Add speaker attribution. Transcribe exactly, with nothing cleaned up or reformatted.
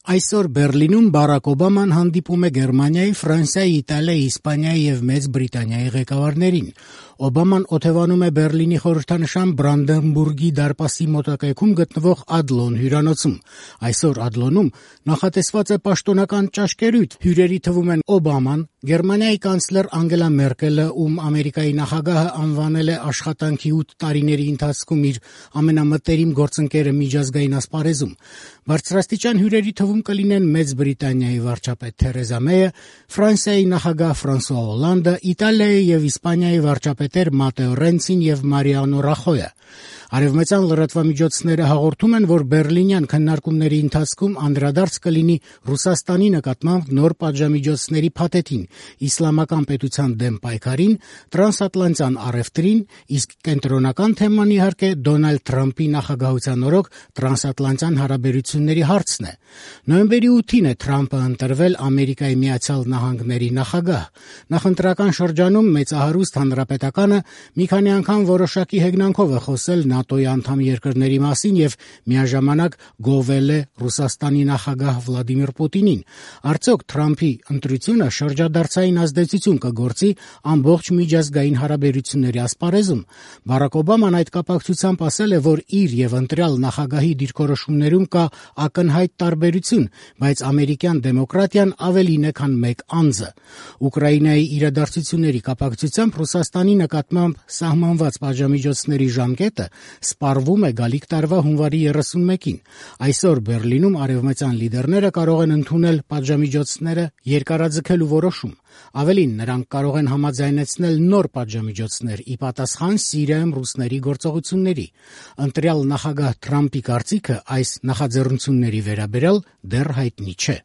Speaker 1: Այսօր Բերլինում Բարակ Օբաման հանդիպում է Գերմանիայի, Ֆրանսիայի, Իտալիայի, Իսպանիայի եւ Մեծ Բրիտանիայի ղեկավարներին։ Օբաման օթևանում է Բերլինի խորհրդանշան Բրանդենբուրգի դարպասի մոտակայքում գտնվող Ադլոն հյուրանոցում։ Այսօր Ադլոնում նախատեսված է պաշտոնական ճաշկերույթ։ Հյուրերի թվում են Օբաման, Գերմանիայի կանցլեր Անգելա Մերկելը, ում Ամերիկայի նախագահը անվանել է աշխատանքի ութ տարիների ընթացքում իր ամենամտերիմ գործընկերը միջազգային ասպարեզում։ Բարձրաստիճան հյուրերի թվում կլինեն Մեծ Բրիտանիայի վարչապետ Թերեզա Մեյը, Ֆրանսիայի նախագահ Ֆրանսուଆ Օլանդը, Իտալիայի եւ Իսպանիայի վարչապետեր Մատեո Ռենցին եւ Մարիանո Ռախոյը։ Արևմտյան լրատվամիջոցները հաղորդում են, որ բերլինյան քննարկումների ընթացքում անդրադարձ կլինի Ռուսաստանի նկատմամբ նոր պատժամիջոցների փաթեթին, իսլամական պետության դեմ պայքարին, տրանսատլանտյան առևտրին, իսկ կենտրոնական թեման իհարկե Դոնալդ Թրամփի նախագահության օրոք տրանսատլանտյան հարաբերությունների հարցն է։ Նոյեմբերի ութին է Թրամփը ընտրվել Ամերիկայի Միացյալ Նահանգների նախագահ։ Նախընտրական շրջանում մեծահարուստ հանրապետականը մի քանի անգամ որոշակի հեգնանքով է խոսել ՆԱՏՕ-ի անդամ երկրների մասին եւ միաժամանակ գովել է Ռուսաստանի նախագահ Վլադիմիր Պուտինին։ Արդյոք Թրամփի ընտրությունը շրջադարձային ազդեցություն կգործի ամբողջ միջազգային հարաբերությունների ասպարեզում։ Բարակ Օբաման այդ կապակցությամբ ասել է, որ իր եւ ընտրյալ նախագահի դիրքորոշումներում կա ակնհայտ տարբերություն, բայց ամերիկյան դեմոկրատիան ավելին է, քան մեկ անձը։ Ուկրաինայի իրադարձությունների կապակցությամբ Ռուսաստանի նկատմամբ սահմանված պատժամիջոցների ժամկետը սպառվում է գալիք տարվա հունվարի երեսունմեկին։ Այսօր Բերլինում արևմտյան լիդերները կարող են ընդունել պատժամիջոցները երկարաձգելու որոշում։ Ավելին, նրանք կարող են համաձայնեցնել նոր պատժամիջոցներ ի պատասխան Սիրիայում ռուսների գործողությունների։ Ընտրյալ նախագահ Թրամփի կարծիքը այս նախաձեռնությունների վերաբերյալ դեռ հայտնի չէ։